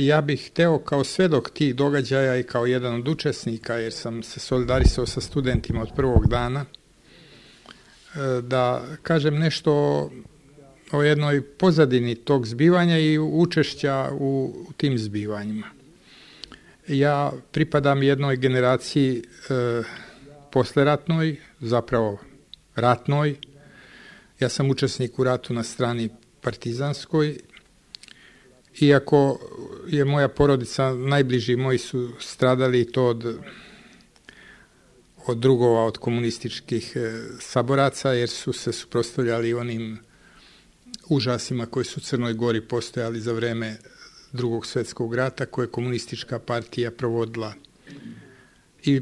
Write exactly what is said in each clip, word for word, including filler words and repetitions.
ja bih hteo kao svedok tih događaja i kao jedan od učesnika, jer sam se solidarisao sa studentima od prvog dana, da kažem nešto o jednoj pozadini tog zbivanja i učešća u, u tim zbivanjima. Ja pripadam jednoj generaciji e, posleratnoj, zapravo ratnoj. Ja sam učesnik u ratu na strani partizanskoj. Iako je moja porodica, najbliži moji su stradali to od, od drugova, od komunističkih e, saboraca, jer su se suprotstavljali onim užasima koji su u Crnoj Gori postojali za vreme Drugog svjetskog rata, koje je komunistička partija provodila. I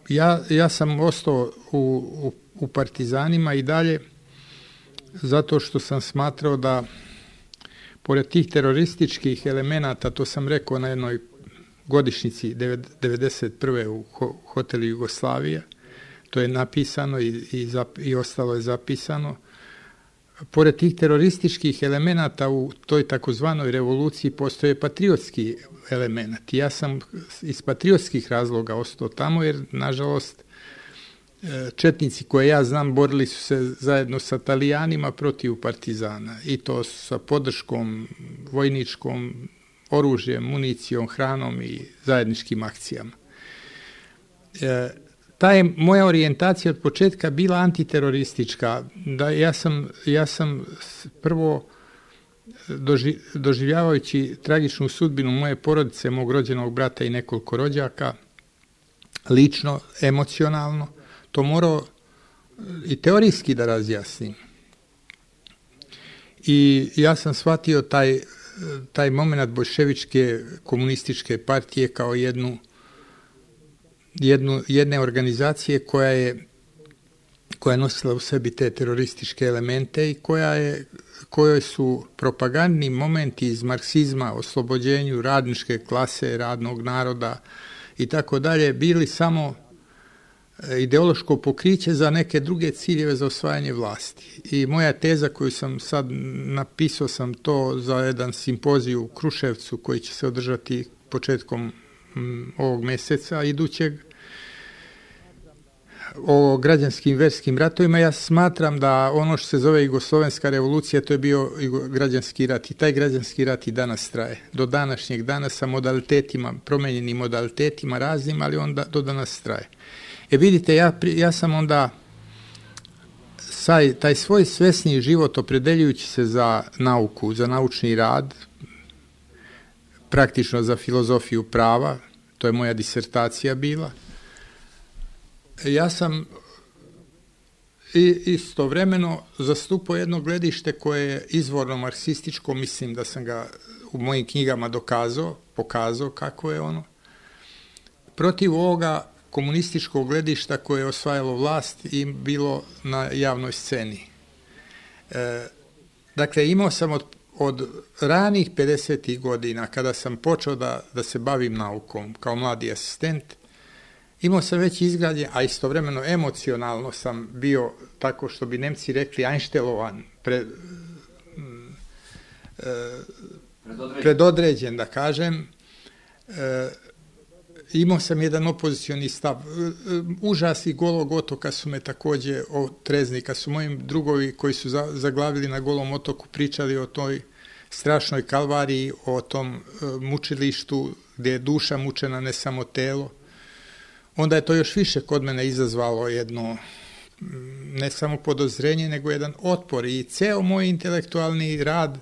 ja, ja sam ostao u, u, u partizanima i dalje, zato što sam smatrao da pored tih terorističkih elemenata, to sam rekao na jednoj godišnjici devedeset prve u hotelu Jugoslavija, to je napisano i, i, zap, i ostalo je zapisano, pored tih terorističkih elemenata u toj takozvanoj revoluciji postoje patriotski element. Ja sam iz patriotskih razloga ostao tamo, jer nažalost četnici koje ja znam borili su se zajedno sa Talijanima protiv partizana, i to sa podrškom vojničkom, oružjem, municijom, hranom i zajedničkim akcijama. E, ta je moja orijentacija od početka bila antiteroristička. Da ja sam, ja sam prvo doži, doživljavajući tragičnu sudbinu moje porodice, mog rođenog brata i nekoliko rođaka, lično, emocionalno, to morao i teorijski da razjasnim. I ja sam shvatio taj, taj moment bolševičke komunističke partije kao jednu, jednu, jedne organizacije koja je, koja je nosila u sebi te terorističke elemente i koja je, kojoj su propagandni momenti iz marksizma, oslobođenju radničke klase, radnog naroda i tako dalje, bili samo ideološko pokriće za neke druge ciljeve za osvajanje vlasti. I moja teza koju sam sad napisao sam to za jedan simpozij u Kruševcu koji će se održati početkom m, ovog meseca idućeg o građanskim verskim ratovima. Ja smatram da ono što se zove Jugoslovenska revolucija, to je bio građanski rat, i taj građanski rat i danas traje. Do današnjeg dana sa modalitetima, promenjenim modalitetima raznim, ali on da, do danas traje. E vidite, ja, ja sam onda saj, taj svoj svesni život opredeljujući se za nauku, za naučni rad, praktično za filozofiju prava, to je moja disertacija bila, ja sam i istovremeno zastupao jedno gledište koje je izvorno marksističko, mislim da sam ga u mojim knjigama dokazao, pokazao kako je ono, protiv ovoga komunističkog gledišta koje je osvajalo vlast i bilo na javnoj sceni. E, dakle, imao sam od, od ranih pedesetih godina, kada sam počeo da, da se bavim naukom kao mladi asistent, imao sam već izgrađen, a istovremeno emocionalno sam bio, tako što bi Nemci rekli, einstelovan, pre, e, predodređen. predodređen, da kažem. E, Imao sam jedan opozicioni stav. Užasi Golog otoka su me takođe otrezni. Kad su mojim drugovi koji su zaglavili na Golom otoku pričali o toj strašnoj kalvariji, o tom mučilištu gdje je duša mučena, ne samo telo, onda je to još više kod mene izazvalo jedno ne samo podozrenje, nego jedan otpor. I ceo moj intelektualni rad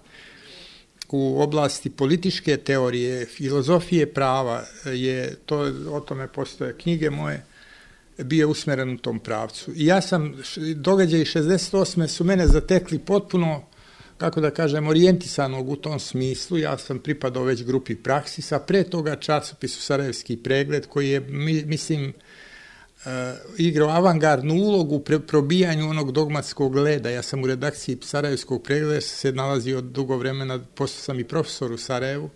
u oblasti političke teorije, filozofije prava, je to, o tome postoje knjige moje, bio usmeren u tom pravcu. I ja sam, događaji šezdeset osme su mene zatekli potpuno, kako da kažem, orijentisanog u tom smislu. Ja sam pripadao već grupi Praksisa, pre toga časopisu Sarajevski pregled, koji je, mislim, Uh, igrao avangardnu ulogu u probijanju onog dogmatskog leda. Ja sam u redakciji Sarajevskog pregleda se nalazio dugo vremena, postao sam i profesor u Sarajevu,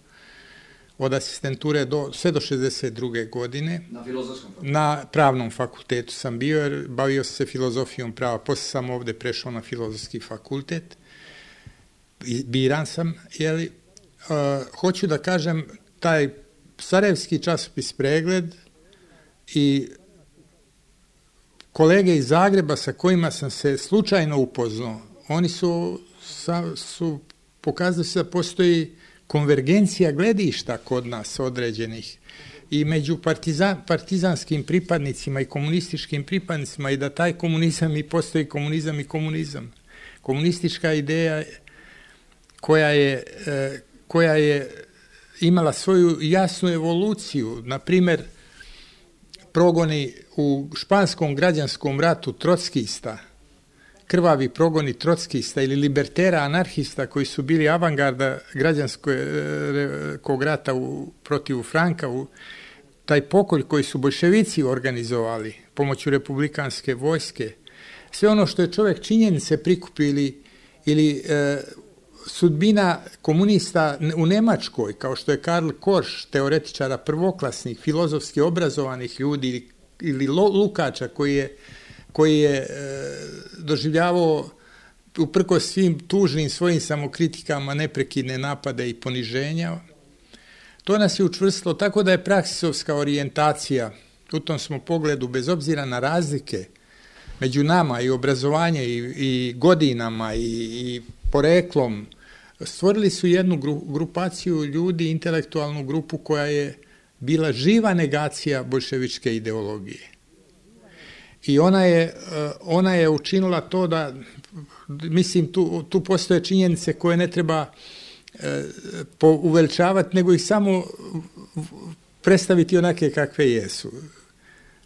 od asistenture do, sve do šezdeset druge godine. Na filozofskom fakultetu? Na pravnom fakultetu sam bio, jer bavio se filozofijom prava. Posle sam ovde prešao na filozofski fakultet. I biran sam, jeli, hoću da kažem, taj sarajevski časopis Pregled i kolege iz Zagreba sa kojima sam se slučajno upoznao, oni su, sa, su pokazali se da postoji konvergencija gledišta kod nas određenih i među partizan, partizanskim pripadnicima i komunističkim pripadnicima i da taj komunizam i postoji komunizam i komunizam. Komunistička ideja koja je, koja je imala svoju jasnu evoluciju, na primjer progoni u španskom građanskom ratu trockista, krvavi progoni trockista ili libertera anarhista koji su bili avangarda građanskog rata u, protiv Franka, u, taj pokolj koji su boljševici organizovali pomoću republikanske vojske, sve ono što je čovjek činjenice prikupio ili, ili e, sudbina komunista u Nemačkoj, kao što je Karl Korsch, teoretičara prvoklasnih, filozofski obrazovanih ljudi ili, ili Lukača koji je, koji je e, doživljavao uprkos svim tužnim svojim samokritikama neprekidne napade i poniženja. To nas je učvrstilo tako da je praksisovska orijentacija u tom smo pogledu, bez obzira na razlike među nama i obrazovanje i, i godinama i, i poreklom, stvorili su jednu gru, grupaciju ljudi, intelektualnu grupu koja je bila živa negacija boljševičke ideologije. I ona je, ona je učinila to da, mislim, tu, tu postoje činjenice koje ne treba e, uveličavati, nego ih samo predstaviti onake kakve jesu.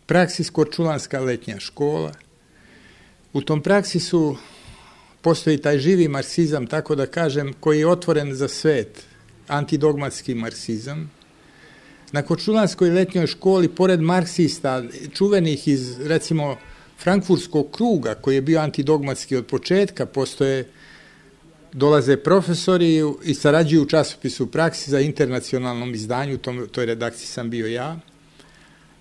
Praksis Korčulanska letnja škola. U tom praksisu postoji taj živi marksizam, tako da kažem, koji je otvoren za svet, antidogmatski marksizam. Na Korčulanskoj letnjoj školi, pored marksista, čuvenih iz, recimo, frankfurtskog kruga, koji je bio antidogmatski od početka, postoje, dolaze profesori i sarađuju u časopisu Praksi za internacionalnom izdanju, u toj redakciji sam bio ja,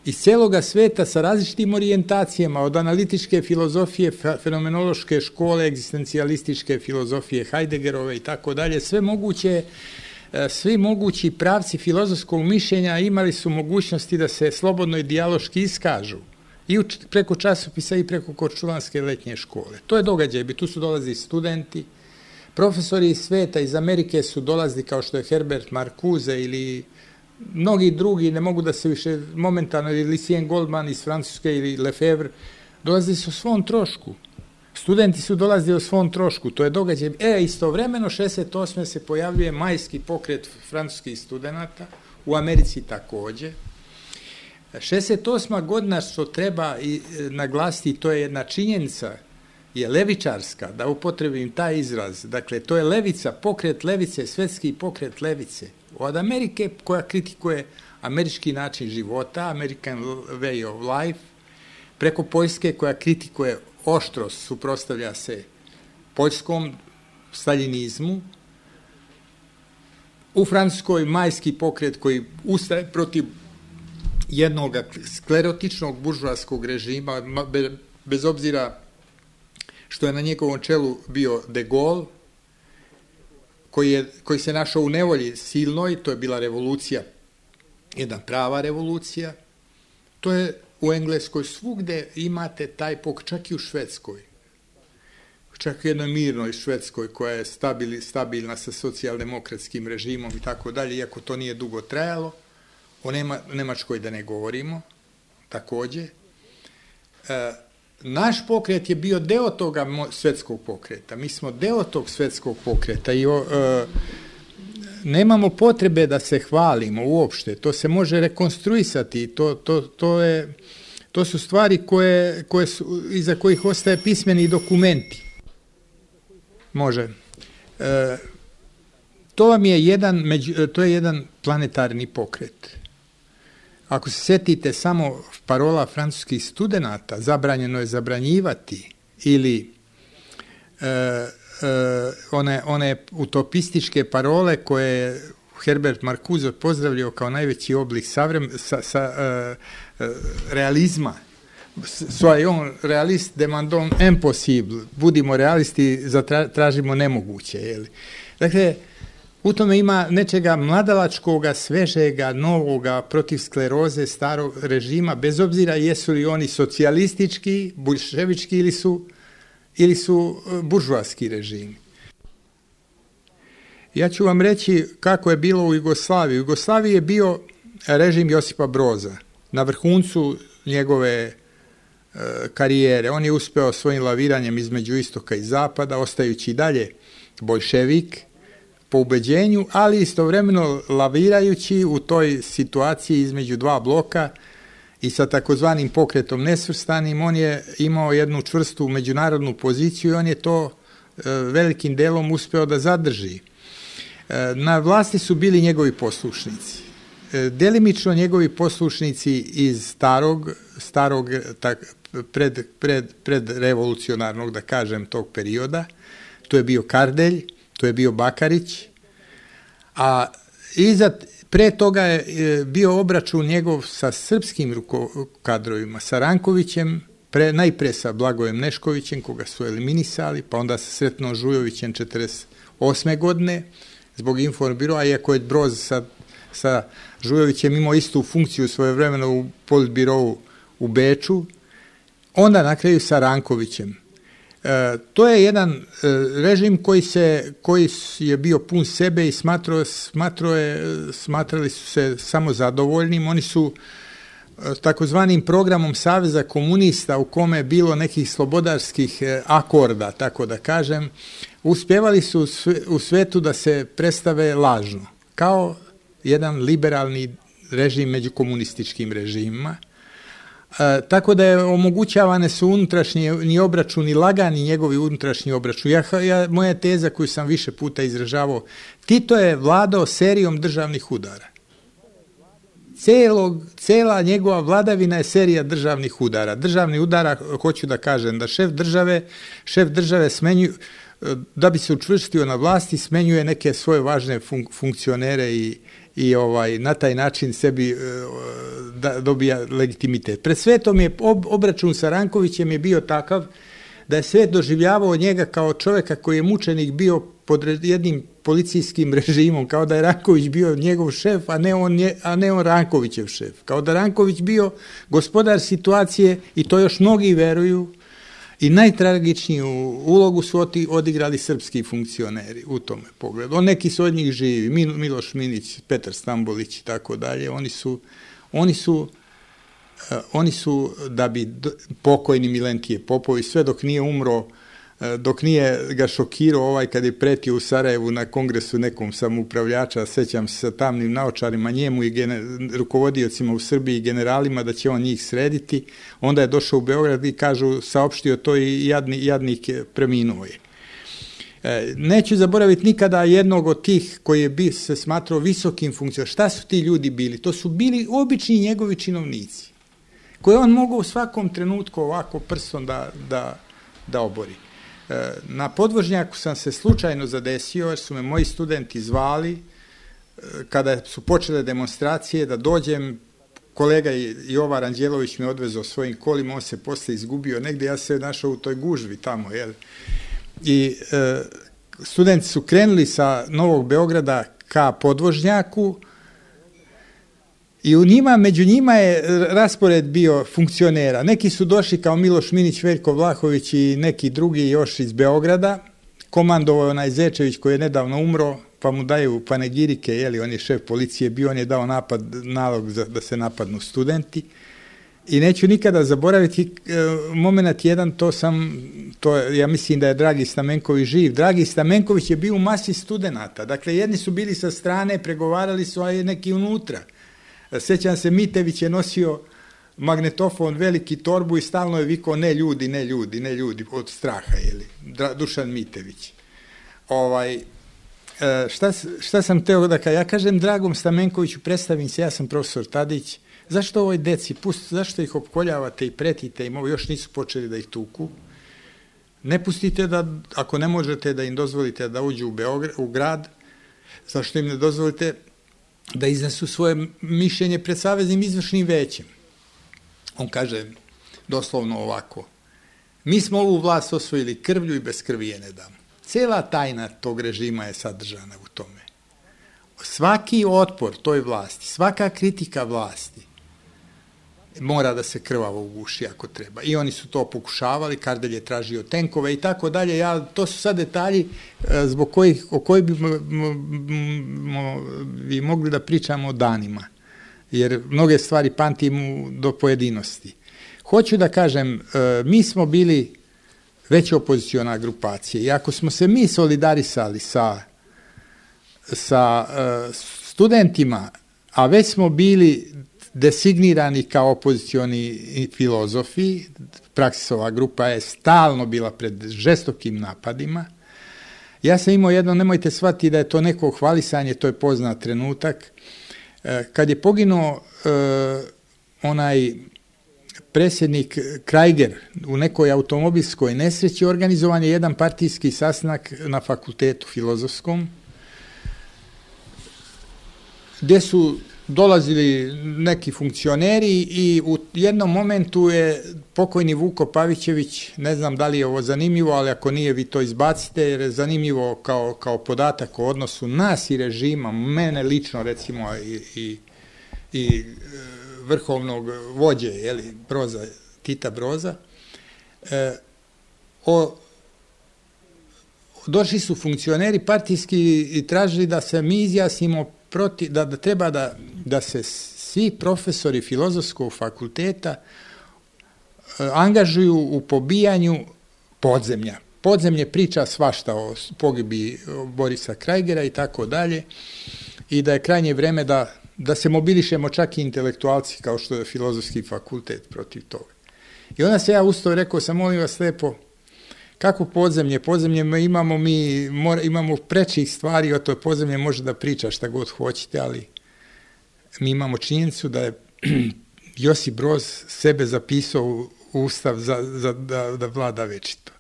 iz cijeloga sveta sa različitim orijentacijama, od analitičke filozofije, fenomenološke škole, egzistencijalističke filozofije Heideggerove i tako dalje, sve moguće, svi mogući pravci filozofskog mišljenja imali su mogućnosti da se slobodno i dijaloški iskažu i preko časopisa i preko Korčulanske letnje škole. To je događaj, tu su dolazili studenti, profesori iz sveta, iz Amerike su dolazili kao što je Herbert Marcuse ili mnogi drugi, ne mogu da se više momentalno, ili Lucien Goldman iz Francuske ili Lefebvre, dolazili su o svom trošku. Studenti su dolazili o svom trošku, to je događaj. E, istovremeno, šezdeset osme se pojavljuje majski pokret francuskih studenata, u Americi također. šezdeset osma godina, što treba i naglasiti, to je jedna činjenica, je levičarska, da upotrebim taj izraz. Dakle, to je levica, pokret levice, svetski pokret levice. Od Amerike koja kritikuje američki način života, American way of life, preko Poljske koja kritikuje oštro, suprotstavlja se poljskom staljinizmu, u Francuskoj majski pokret koji ustaje protiv jednog sklerotičnog buržoaskog režima, bez obzira što je na njegovom čelu bio De Gaulle, koji, je, koji se našao u nevolji silnoj, to je bila revolucija, jedna prava revolucija. To je u Engleskoj svugde imate taj pokret, čak i u Švedskoj. Čak i u jednoj mirnoj Švedskoj koja je stabil, stabilna sa socijaldemokratskim režimom i tako dalje, iako to nije dugo trajalo. O Nema, Nemačkoj da ne govorimo, također. E, naš pokret je bio deo toga svetskog pokreta. Mi smo deo tog svetskog pokreta i o, e, nemamo potrebe da se hvalimo uopšte. To se može rekonstruisati. To, to, to, je, to su stvari koje, koje su, iza kojih ostaje pismeni dokumenti. Može. E, to vam je jedan, među, to je jedan planetarni pokret. Ako se sjetite samo parola francuskih studenata, zabranjeno je zabranjivati, ili e, e, one, one utopističke parole koje je Herbert Marcuse pozdravljao kao najveći oblik savrem, sa, sa, e, e, realizma. Soyons realist, demandons impossible. Budimo realisti, zatražimo nemoguće. Jeli? Dakle, U tome ima nečega mladalačkoga, svežega, novoga, protiv skleroze starog režima, bez obzira jesu li oni socijalistički, bolševički ili su, ili su buržoaski režimi. Ja ću vam reći kako je bilo u Jugoslaviji. U Jugoslaviji je bio režim Josipa Broza. Na vrhuncu njegove e, karijere. On je uspeo svojim laviranjem između istoka i zapada, ostajući i dalje boljševik po ubeđenju, ali istovremeno lavirajući u toj situaciji između dva bloka i sa takozvanim pokretom nesvrstanim, on je imao jednu čvrstu međunarodnu poziciju i on je to e, velikim delom uspeo da zadrži. E, na vlasti su bili njegovi poslušnici. E, delimično njegovi poslušnici iz starog, starog tak, pred, pred, pred revolucionarnog, da kažem, tog perioda. To je bio Kardelj, to je bio Bakarić, a iza, pre toga je bio obračun njegov sa srpskim ruko, kadrovima, sa Rankovićem, pre, najpre sa Blagojem Neškovićem, koga su eliminisali, pa onda sa Sretno Žujovićem četrdeset osme godine, zbog Informbiroa, iako je Broz sa, sa Žujovićem imao istu funkciju svojevremeno u politbirovu u Beču, onda na kraju sa Rankovićem. E, to je jedan e, režim koji, se, koji je bio pun sebe i smatrao, smatrao je, smatrali su se samo zadovoljnim. Oni su e, takozvanim programom Saveza komunista, u kome je bilo nekih slobodarskih e, akorda, tako da kažem, uspjevali su u svetu da se predstave lažno, kao jedan liberalni režim među komunističkim režimima. E, tako da je omogućavane su unutrašnji obračuni, lagani njegovi unutrašnji obračun. Ja, ja, moja teza koju sam više puta izražavao, Tito je vladao serijom državnih udara. Celog, cela njegova vladavina je serija državnih udara. Državni udara, hoću da kažem, da šef države, šef države smenju, da bi se učvrstio na vlasti, smenjuje neke svoje važne fun, funkcionere i i ovaj, na taj način sebi da, dobija legitimitet. Pred svetom je ob, obračun sa Rankovićem je bio takav da je svet doživljavao njega kao čovjeka koji je mučenik bio pod jednim policijskim režimom, kao da je Ranković bio njegov šef, a ne on, a ne on Rankovićev šef. Kao da Ranković bio gospodar situacije i to još mnogi veruju. I najtragičniju ulogu su odigrali srpski funkcioneri u tome pogledu. On neki su od njih živi, Miloš Minić, Petar Stambolić i tako dalje. Oni su, oni su, uh, oni su da bi pokojni Milentije Popović, sve dok nije umro, uh, dok nije ga šokirao ovaj kad je pretio u Sarajevu na kongresu nekom samoupravljača, sećam se sa tamnim naočarima, njemu i gene, rukovodiocima u Srbiji i generalima da će on njih srediti. Onda je došao u Beograd i kažu, saopštio to i jadni, jadnik preminuo je. E, neću zaboraviti nikada jednog od tih koji je bi, se smatrao visokim funkcijom. Šta su ti ljudi bili? To su bili obični njegovi činovnici, koje on mogao u svakom trenutku ovako prstom da, da, da obori. Na podvožnjaku sam se slučajno zadesio, jer su me moji studenti zvali, kada su počele demonstracije, da dođem. Kolega Jovan Anđelović me odvezao svojim kolima, on se posle izgubio negdje, ja se našao u toj gužvi tamo, jel? I e, studenti su krenuli sa Novog Beograda ka podvožnjaku i u njima, među njima je raspored bio funkcionera. Neki su došli kao Miloš Minić, Veljko Vlahović i neki drugi još iz Beograda. Komandovao je onaj Zečević koji je nedavno umro, pa mu daju panegirike, jeli, on je šef policije bio, on je dao napad, nalog za, da se napadnu studenti. I neću nikada zaboraviti e, moment jedan, to sam, to, ja mislim da je Dragi Stamenković živ. Dragi Stamenković je bio u masi studenata. Dakle, jedni su bili sa strane, pregovarali su, a neki unutra. Sećam se, Mitević je nosio magnetofon, veliki torbu i stalno je vikao ne ljudi, ne ljudi, ne ljudi, od straha, jeli, Dušan Mitević. Ovaj, šta, šta sam teo da kažem? Ja kažem Dragom Stamenkoviću, predstavim se, ja sam profesor Tadić, zašto ovoj deci, pust, zašto ih opkoljavate i pretite im, ovo još nisu počeli da ih tuku, ne pustite da, ako ne možete da im dozvolite da uđu u, Beograd, u grad, zašto im ne dozvolite da iznesu svoje mišljenje pred Saveznim izvršnim većem. On kaže doslovno ovako, mi smo ovu vlast osvojili krvlju i bez krvi je ne damo. Cela tajna tog režima je sadržana u tome. svaki otpor toj vlasti, svaka kritika vlasti mora da se krvavo uguši ako treba. I oni su to pokušavali, Kardelj je tražio tenkove i tako dalje. Ja, to su sad detalji zbog kojih, o kojih bi, bi mogli da pričamo danima. Jer mnoge stvari pamtimo do pojedinosti. Hoću da kažem, mi smo bili već opoziciona grupacija i ako smo se mi solidarisali sa, sa studentima, a već smo bili designirani kao opozicioni filozofi, Praksisova grupa je stalno bila pred žestokim napadima. Ja sam imao jedno, nemojte shvatiti da je to neko hvalisanje, to je poznat trenutak. Kad je poginuo eh, onaj predsjednik Krajger u nekoj automobilskoj nesreći, organizovan je jedan partijski sastanak na fakultetu filozofskom, gdje su dolazili neki funkcioneri i u jednom momentu je pokojni Vuko Pavićević, ne znam da li je ovo zanimljivo, ali ako nije vi to izbacite, jer je zanimljivo kao, kao podatak o odnosu nas i režima, mene lično recimo i, i, i vrhovnog vođe, jeli, Broza, Tita Broza, e, o, došli su funkcioneri partijski i tražili da se mi izjasnimo proti, da, da treba da, da se svi profesori filozofskog fakulteta e, angažuju u pobijanju podzemlja. Podzemlje priča svašta o pogibi Borisa Krajgera i tako dalje i da je krajnje vreme da da se mobilišemo čak i intelektualci kao što je filozofski fakultet protiv toga. I onda se ja ustao i rekao sam, molim vas lijepo, kako podzemlje? Podzemlje imamo mi, mora, imamo prečih stvari, o to podzemlje može da priča šta god hoćete, ali mi imamo činjenicu da je Josip Broz sebe zapisao u ustav za, za, da, da vlada večito.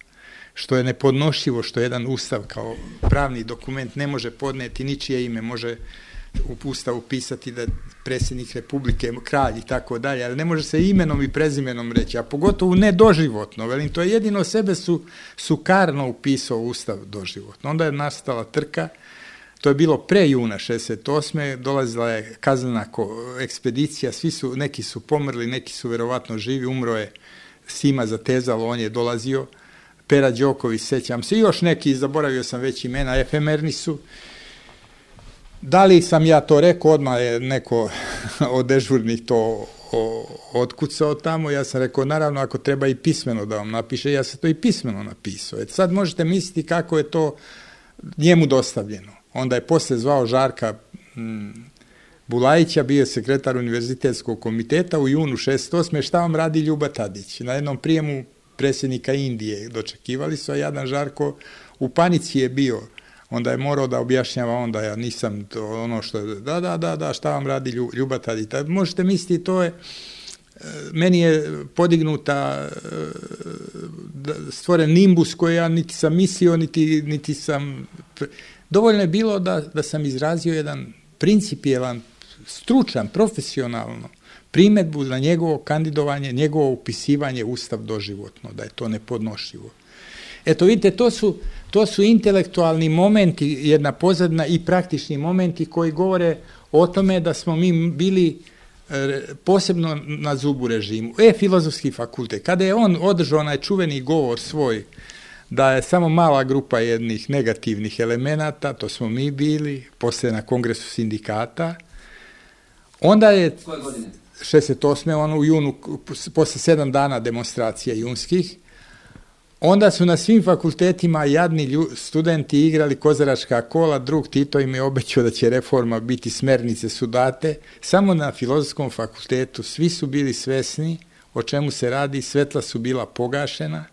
Što je nepodnošljivo, što jedan ustav kao pravni dokument ne može podneti ničije ime, može u ustavu pisati da predsjednik Republike, kralj i tako dalje, ali ne može se imenom i prezimenom reći, a pogotovo ne doživotno, velim, to je jedino sebe su, su karno upisao ustav doživotno. Onda je nastala trka, to je bilo pre juna šezdeset osme dolazila je kaznena ekspedicija, svi su, neki su pomrli, neki su verovatno živi, umro je Sima Zatezalo, on je dolazio, Pera Đoković, sećam se, i još neki, zaboravio sam već imena, efemerni su. Da li sam ja to rekao, odmah je neko od dežurnih to otkucao tamo, ja sam rekao, naravno, ako treba i pismeno da vam napiše, ja sam to i pismeno napisao. Et sad možete misliti kako je to njemu dostavljeno. Onda je posle zvao Žarka m, Bulajića, bio je sekretar univerzitetskog komiteta u junu šezdeset osme šta vam radi Ljuba Tadić? Na jednom prijemu predsjednika Indije dočekivali su, a jadan Žarko u panici je bio. Onda je morao da objašnjava, onda ja nisam to ono što, da, da, da, da, šta vam radi Ljuba Tadić. Možete misliti, to je, meni je podignuta, stvoren nimbus koji ja niti sam mislio, niti, niti sam, dovoljno je bilo da, da sam izrazio jedan principijelan, stručan, profesionalno primjedbu na njegovo kandidovanje, njegovo upisivanje u ustav doživotno, da je to nepodnošljivo. Eto, vidite, to su, to su intelektualni momenti, jedna pozadna i praktični momenti koji govore o tome da smo mi bili e, posebno na zubu režimu. E, filozofski fakultet, kada je on održao onaj čuveni govor svoj, da je samo mala grupa jednih negativnih elemenata, to smo mi bili, poslije na kongresu sindikata, onda je šezdeset osme ono u junu, posle sedam dana demonstracija junskih, onda su na svim fakultetima jadni lju, studenti igrali kozaračka kola, drug Tito im je obećao da će reforma biti, smernice su date, samo na filozofskom fakultetu svi su bili svesni o čemu se radi, svetla su bila pogašena,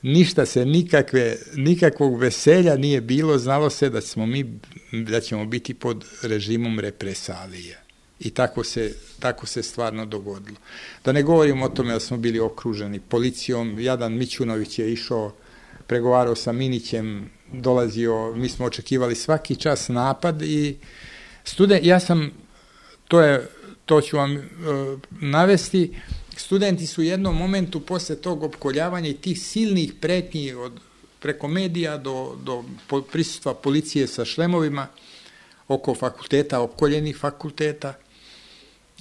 ništa se, nikakve, nikakvog veselja nije bilo, znalo se da, smo mi, da ćemo biti pod režimom represalije. I tako se, tako se stvarno dogodilo. Da ne govorim o tome da smo bili okruženi policijom, jadan Mićunović je išao, pregovarao sa Minićem, dolazio, mi smo očekivali svaki čas napad i student, ja sam, to, je, to ću vam uh, navesti, studenti su u jednom momentu posle tog opkoljavanja i tih silnih pretnji od, preko medija do, do prisustva policije sa šlemovima, oko fakulteta, opkoljenih fakulteta.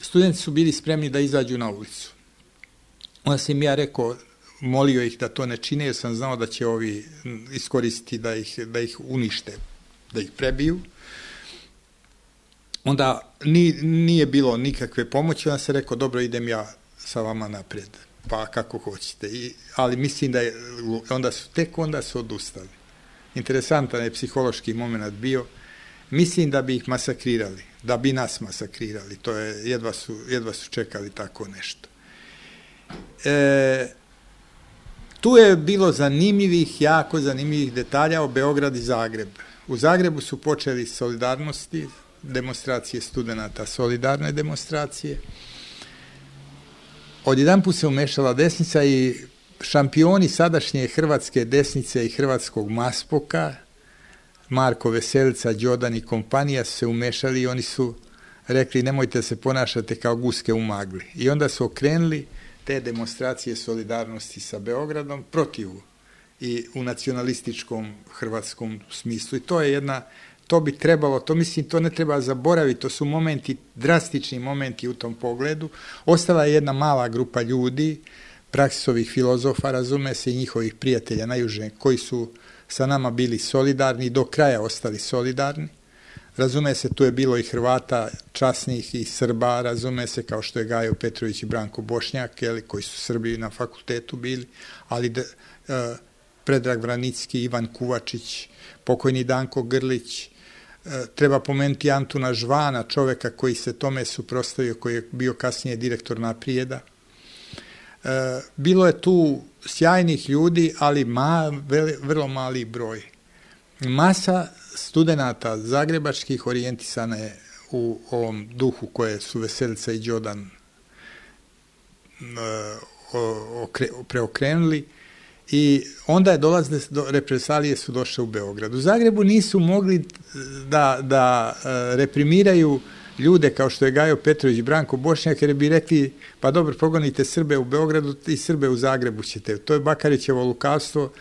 Studenti su bili spremni da izađu na ulicu. Onda sam ja rekao, molio ih da to ne čine, jer sam znao da će ovi iskoristiti da ih, da ih unište, da ih prebiju. Onda ni, nije bilo nikakve pomoći, onda sam rekao, dobro, idem ja sa vama naprijed, pa kako hoćete. I, ali mislim da je, onda su, tek onda su odustali. Interesantan je psihološki moment bio. Mislim da bi ih masakrirali, da bi nas masakrirali. To je, jedva su, jedva su čekali tako nešto. E, tu je bilo zanimljivih, jako zanimljivih detalja o Beograd i Zagreb. U Zagrebu su počeli solidarnosti, demonstracije studenata, solidarne demonstracije. Odjedanput se umešala desnica i šampioni sadašnje hrvatske desnice i hrvatskog maspoka, Marko Veselica, Đodan i kompanija, su se umešali i oni su rekli, nemojte se ponašati kao guske u magli. I onda su okrenuli te demonstracije solidarnosti sa Beogradom protiv i u nacionalističkom hrvatskom smislu. I to je jedna, to bi trebalo, to mislim, to ne treba zaboraviti, to su momenti, drastični momenti u tom pogledu. Ostala je jedna mala grupa ljudi, Praksisovih filozofa, razume se, i njihovih prijatelja najuže, koji su sa nama bili solidarni i do kraja ostali solidarni. Razume se, tu je bilo i Hrvata časnih i Srba, razume se, kao što je Gajo Petrović i Branko Bošnjak, jeli, koji su Srbi na fakultetu bili, ali de, uh, Predrag Vranicki, Ivan Kuvačić, pokojni Danko Grlić, uh, treba pomenuti Antuna Žvana, čoveka koji se tome suprotstavio, koji je bio kasnije direktor Naprijeda. Uh, bilo je tu sjajnih ljudi, ali ma, veli, vrlo mali broj. Masa studenata zagrebačkih orijentisana je u ovom duhu koje su Veselica i Đodan uh, preokrenuli i onda je dolazile, do, represalije su došle u Beograd. U Zagrebu nisu mogli da, da uh, reprimiraju ljude kao što je Gajo Petrović i Branko Bošnjak, jer bi rekli, pa dobro, progonite Srbe u Beogradu i Srbe u Zagrebu ćete. To je Bakarićevo lukavstvo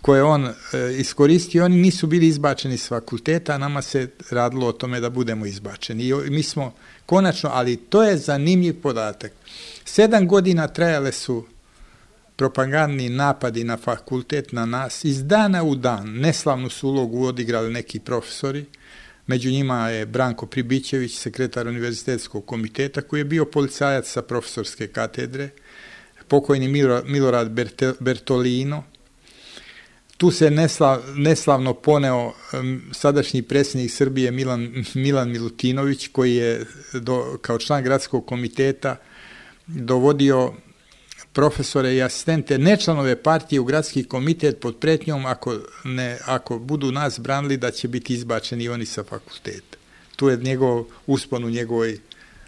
koje on e, iskoristio. Oni nisu bili izbačeni s fakulteta, a nama se radilo o tome da budemo izbačeni. I mi smo konačno, ali to je zanimljiv podatak. Sedam godina trajale su propagandni napadi na fakultet, na nas, iz dana u dan. Neslavnu su ulogu odigrali neki profesori. Među njima je Branko Pribićević, sekretar univerzitetskog komiteta, koji je bio policajac sa profesorske katedre, pokojni Milorad Bertolino. Tu se neslav, neslavno poneo um, sadašnji predsjednik Srbije Milan, Milan Milutinović, koji je do, kao član gradskog komiteta dovodio profesore i asistente, ne članove partije, u gradski komitet pod pretnjom ako, ne, ako budu nas branili da će biti izbačeni oni sa fakulteta. Tu je njegov uspon u njegovoj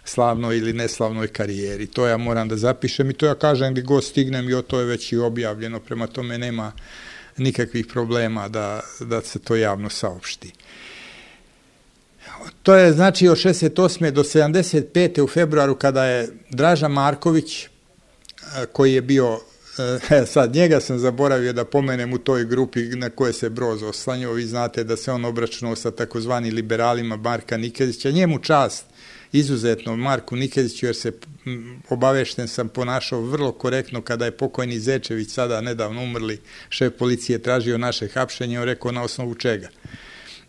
slavnoj ili neslavnoj karijeri. To ja moram da zapišem i to ja kažem gdje god stignem i o to je već i objavljeno, prema tome nema nikakvih problema da, da se to javno saopšti. To je znači od šezdeset osme do sedamdeset pete u februaru kada je Draža Marković, koji je bio, e, sad njega sam zaboravio da pomenem u toj grupi na koje se Broz oslanjao, vi znate da se on obračunao sa takozvani liberalima Marka Nikezića, njemu čast izuzetno Marku Nikeziću, jer se obavešten sam ponašao vrlo korektno kada je pokojni Zečević, sada nedavno umrli šef policije, tražio naše hapšenje, on rekao na osnovu čega.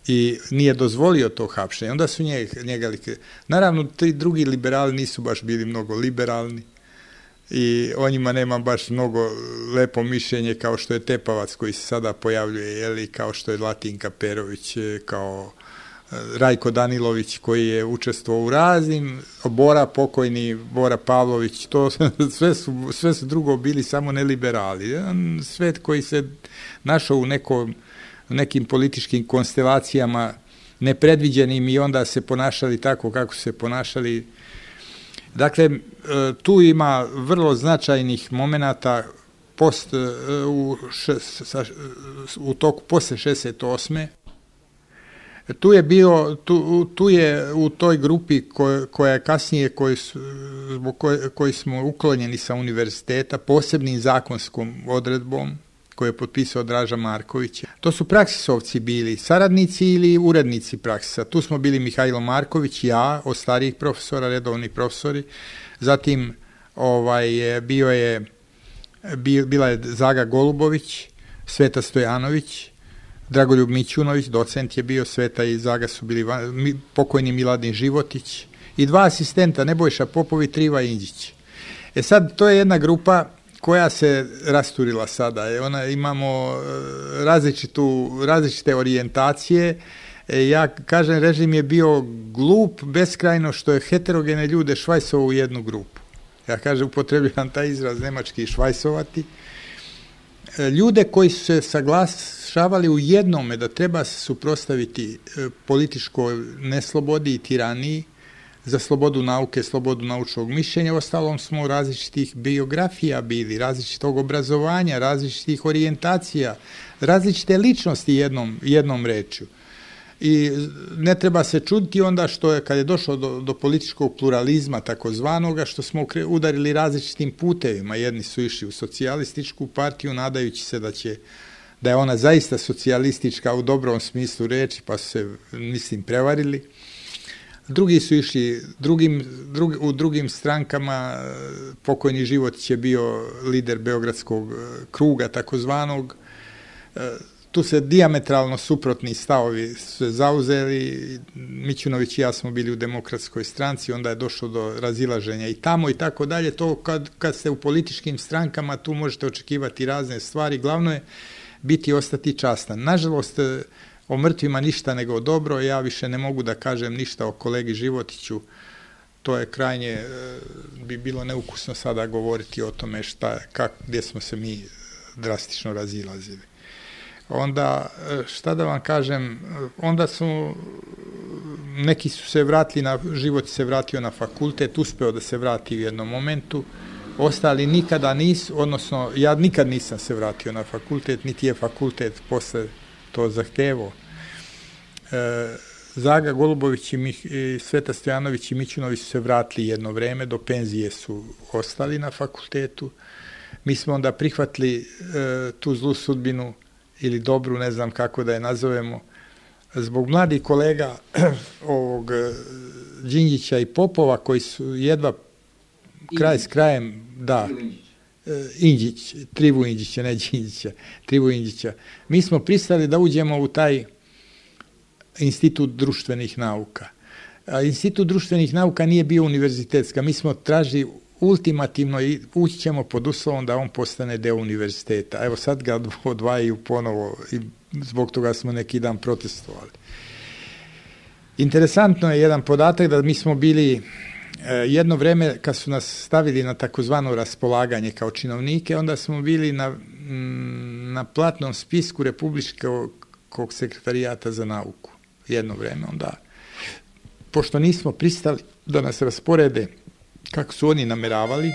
I nije dozvolio to hapšenje. Onda su njega, njega naravno, ti drugi liberali nisu baš bili mnogo liberalni i o njima nema baš mnogo lepo mišljenje kao što je Tepavac koji se sada pojavljuje, jeli, kao što je Latinka Perović, kao Rajko Danilović koji je učestvovao u raznim, Bora, pokojni Bora Pavlović, to sve su, sve su drugo bili samo neliberali. Jedan svet koji se našao u nekom, nekim političkim konstelacijama nepredviđenim i onda se ponašali tako kako se ponašali. Dakle, tu ima vrlo značajnih momenata post, u, u toku posle šezdeset osme Tu je bio, tu, tu je u toj grupi koja, koja je kasnije, koji, su, koji, koji smo uklonjeni sa univerziteta, posebnim zakonskom odredbom, koje je potpisao Draža Marković. To su praksisovci bili, saradnici ili urednici praksisa. Tu smo bili Mihajlo Marković, ja, od starijih profesora, redovni profesori. Zatim ovaj, bio je, bila je Zaga Golubović, Sveta Stojanović, Dragoljub Mićunović, docent je bio, Sveta i Zaga su bili pokojni Miladin Životić i dva asistenta, Nebojša Popovi, Triva Inđić. E sad, to je jedna grupa koja se rasturila sada. E, ona, imamo različitu, različite orijentacije. E, ja kažem, režim je bio glup beskrajno što je heterogene ljude švajsovao u jednu grupu. Ja kažem, upotrebljavam taj izraz nemački švajsovati. E, ljude koji su se saglašavali u jednome da treba se suprotstaviti e, političkoj neslobodi i tiraniji, za slobodu nauke, slobodu naučnog mišljenja, ostalom smo različitih biografija bili, različitog obrazovanja, različitih orijentacija, različite ličnosti jednom, jednom rečju. I ne treba se čuditi onda što je, kad je došlo do, do političkog pluralizma takozvanoga, što smo udarili različitim putevima. Jedni su išli u socijalističku partiju, nadajući se da će, da je ona zaista socijalistička u dobrom smislu reči, pa su se, mislim, prevarili. Drugi su išli drugim, drug, u drugim strankama. Pokojni Životić je bio lider Beogradskog kruga takozvanog. Tu se dijametralno suprotni stavovi se zauzeli. Mićunović i ja smo bili u Demokratskoj stranci, onda je došlo do razilaženja i tamo i tako dalje. To kad, kad ste u političkim strankama, tu možete očekivati razne stvari. Glavno je biti i ostati častan. Nažalost, o mrtvima ništa nego dobro, ja više ne mogu da kažem ništa o kolegi Životiću, to je krajnje, bi bilo neukusno sada govoriti o tome šta, kak, gdje smo se mi drastično razilazili. Onda, šta da vam kažem, onda su, neki su se vratili, na, Životić se vratio na fakultet, uspeo da se vrati u jednom momentu, ostali nikada nisu, odnosno ja nikad nisam se vratio na fakultet, niti je fakultet posle to zahtevao. E, Zaga Golubović i, Mih, i Sveta Stojanović i Mićunović su se vratili jedno vreme, do penzije su ostali na fakultetu. Mi smo onda prihvatili e, tu zlu sudbinu ili dobru, ne znam kako da je nazovemo, zbog mladih kolega ovog Đinđića i Popova koji su jedva kraj s krajem, da, Inđić, Trivu Inđića, ne Đinđića, Trivu Inđića. Mi smo pristali da uđemo u taj Institut društvenih nauka. A Institut društvenih nauka nije bio univerzitetska. Mi smo tražili ultimativno i ući ćemo pod uslovom da on postane deo univerziteta. Evo sad ga odvajaju ponovo i zbog toga smo neki dan protestovali. Interesantno je jedan podatak da mi smo bili jedno vreme kad su nas stavili na takozvano raspolaganje kao činovnike, onda smo bili na, na platnom spisku Republičkog sekretarijata za nauku. Jedno vreme onda. Pošto nismo pristali da nas rasporede kako su oni nameravali,